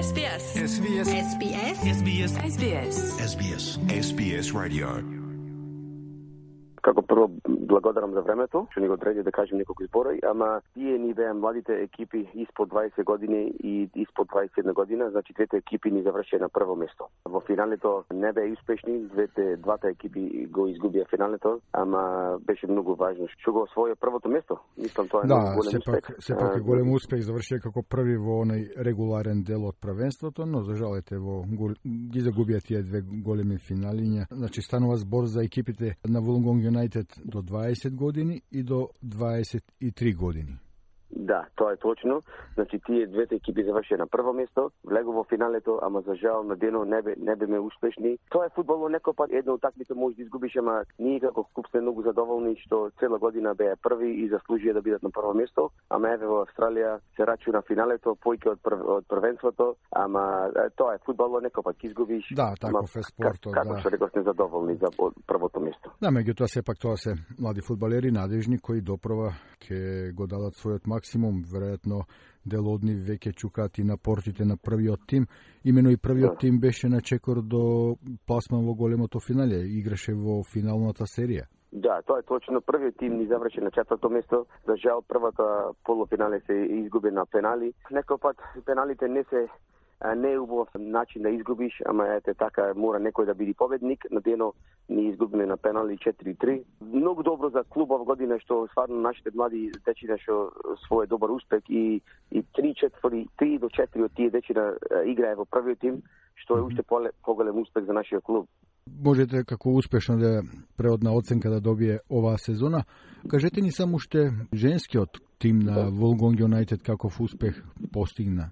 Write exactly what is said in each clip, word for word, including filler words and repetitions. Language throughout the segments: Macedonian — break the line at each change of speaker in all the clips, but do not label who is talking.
S B S.
S B S.
S B S.
S B S.
S B S.
S B S. S B S Radio.
Како прво благодарам за времето, што ни го одреди да кажем неколку зборови, ама тие ни беа младите екипи испод дваесет години и испод дваесет и една година, значи двете екипи ни завршија на прво место. Во финалето не беа успешни, двете двата екипи го изгубија финалето, ама беше многу важно што го освоја првото место. Мислам тоа е
да,
многу голем успех.
Да, сепак е голем успех, завршија како први во оној регуларен дел од првенството, но за жал ете во ги загубија тие две големи финалиња. Значи станува збор за екипите на Wollongong United до дваесет години и до дваесет и три години.
Да, тоа е точно. Значи тие двете екипи завршија на прво место, влегу во финалето, ама за жал на дено не бе не беме успешни. Тоа е фудбал, некој пат една утакмица може да изгубиш, ама ние како клуб сме многу задоволни што цела година беа први и заслужија да бидат на прво место, ама еве во Австралија се рачу на финалето, поиќе од, прв, од првенството, ама тоа е фудбал, некој пат изгубиш.
Да, таков е спортот, да.
Како што реков, сме задоволни за првото место.
Да, меѓутоа сепак тоа се млади фудбалери надежни кои допрва ќе го дадат својот максимум, веројатно дел од нив веќе чукаат и на портите на првиот тим. Имено и првиот да. тим беше на чекор до пласман во големото финале, играше во финалната серија.
Да, тоа е точно. Првиот тим ни заврши на четврто место. За жал првата полуфинале се изгуби на пенали. Некој пат пеналите не се не е убав начин да изгубиш, ама ете така мора некој да биде победник. На дено ни изгубиме на пенали четири три. Многу добро за клубов година што стварно нашите млади дечиња што свој добар успех и и три четврти три до четири од тие дечиња играе во првиот тим, што е уште поголем успех за нашиот клуб.
Можете како успешно да преодна оценка да добие оваа сезона. Кажете ни само уште женскиот тим на Wollongong United каков успех постигна.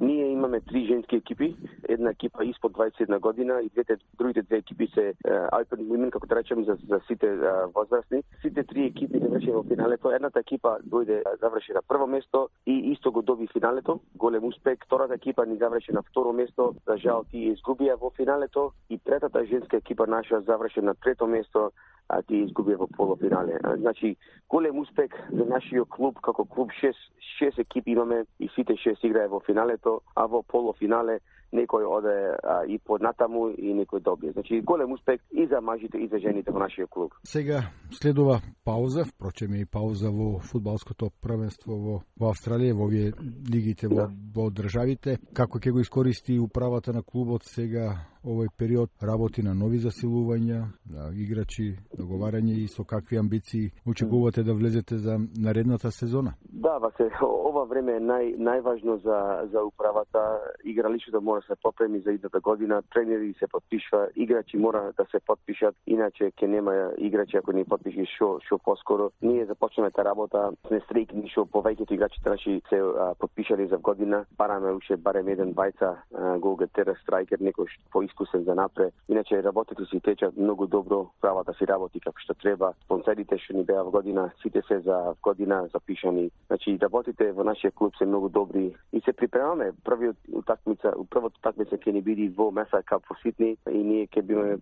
Ние имаме три женски екипи, една екипа испод дваесет и една година и двете другите две екипи се uh, Open Women, како да речем, за, за сите uh, возрастни. Сите три екипи завршија во финалето. Едната екипа дојде заврши на прво место и исто го доби финалето. Голем успех. Втората екипа ни заврши на второ место. За жал тие изгубија во финалето и третата женска екипа наша заврши на трето место, а тие изгубија во полуфинале. Значи, голем успех за нашиот клуб, како клуб шест, шест екипи имаме и сите шест играе во финалето, а во полуфинале некој оде а, и поднатаму и некој добие. Значи, голем успех и за мажите и за жените во нашиот клуб.
Сега следува пауза, впрочем и пауза во фудбалското првенство во, во Австралија, во овие лигите во, во државите. Како ќе го искористи управата на клубот сега овој период, работи на нови засилувања, на играчи, договарање и со какви амбиции очекувате да влезете за наредната сезона?
Да, Васе, ова време е нај, најважно за, за управата. Игралишето мора да се попреми за идната година, тренери се подпишува, играчи мора да се подпишат, иначе ќе нема играчи ако не подпиши шо, шо поскоро. Ние започнеме та работа, сме стрикни шо повеќето играчите наши се а, подпишали за година. Бараме уште барем еден бајца, голгетер, страйкер, некој по искусен за напред. Иначе работите си течат многу добро, правата си работи како што треба. Спонсорите што ни беа во година, сите се за година запишани. Значи работите во нашиот клуб се многу добри и се припремаме. Првиот утакмица, првото утакмица ќе ни биде во Меса Кап во Сидни и ние ќе биме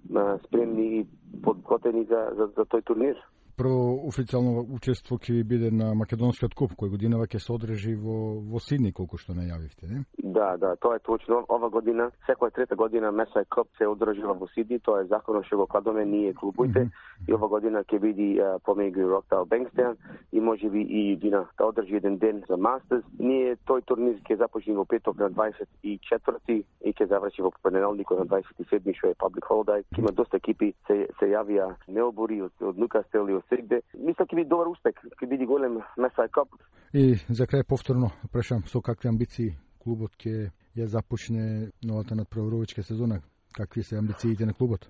спремни и подготвени за, за, за тој турнир.
Прво официјално учество ќе ви биде на Македонскиот куп, кој годинава ќе се одржи во, во Сидни, колку што најавивте, не?
Да, да, тоа е точно. Ова година, секоја трета година Меса Кап се одржува во Сидни, тоа е законот што го кладоме ние клубуите. Mm -hmm. И ова година ќе биде uh, помеѓу Роктал Бенкстејн и можеби и Дина да одржи еден ден за Мастерс. Ние тој турнир ќе започне во петок на дваесет и четврти и ќе заврши во понеделникот на дваесет и седми, што е public holiday. Има доста екипи се се јавија Мелбури од, од Нукастел и од Сегде. Мислам ќе биде добар успех, ќе биде голем Меса Кап.
И за крај повторно прашам со какви амбиции клубот ќе ја започне новата надпреварувачка сезона? Какви се амбициите на клубот?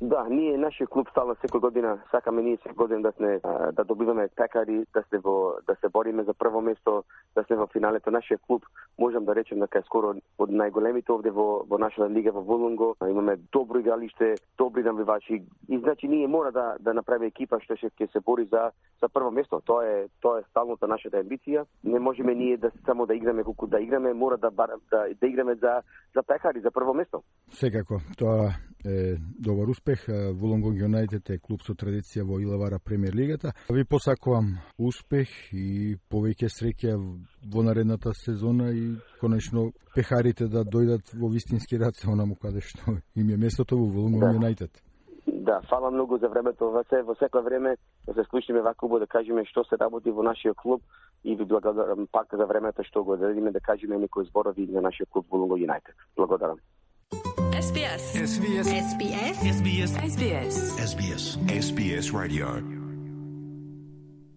Да, ние нашиот клуб стално секој година сакаме ние секој година да сме да добиваме пекари, да се во да се бориме за прво место, да сме во финалето. Нашиот клуб можам да речем дека е скоро од најголемите овде во во нашата лига во Wollongong. Имаме добро игралиште, добри навивачи и значи ние мора да да направиме екипа што ќе се бори за за прво место. Тоа е тоа е сталната нашата амбиција. Не можеме ние да само да играме колку да играме, мора да да, да играме за за пекари за прво место.
Секако, тоа е добар успех. Вулонгонг Юнайтед е клуб со традиција во Илавара премиер лигата. Ви посакувам успех и повеќе среќа во наредната сезона и конечно пехарите да дојдат во вистински раце онаму каде што им е местото во Вулонгонг Юнайтед.
Да, фала многу за времето. Во се во секое време да се склучиме вака убаво да кажеме што се работи во нашиот клуб и ви благодарам пак за времето што го дадиме да кажеме некои зборови за нашиот клуб Вулонгонг Юнайтед. Благодарам.
S B S S B S S B S S B S S B S S B S S B S Radio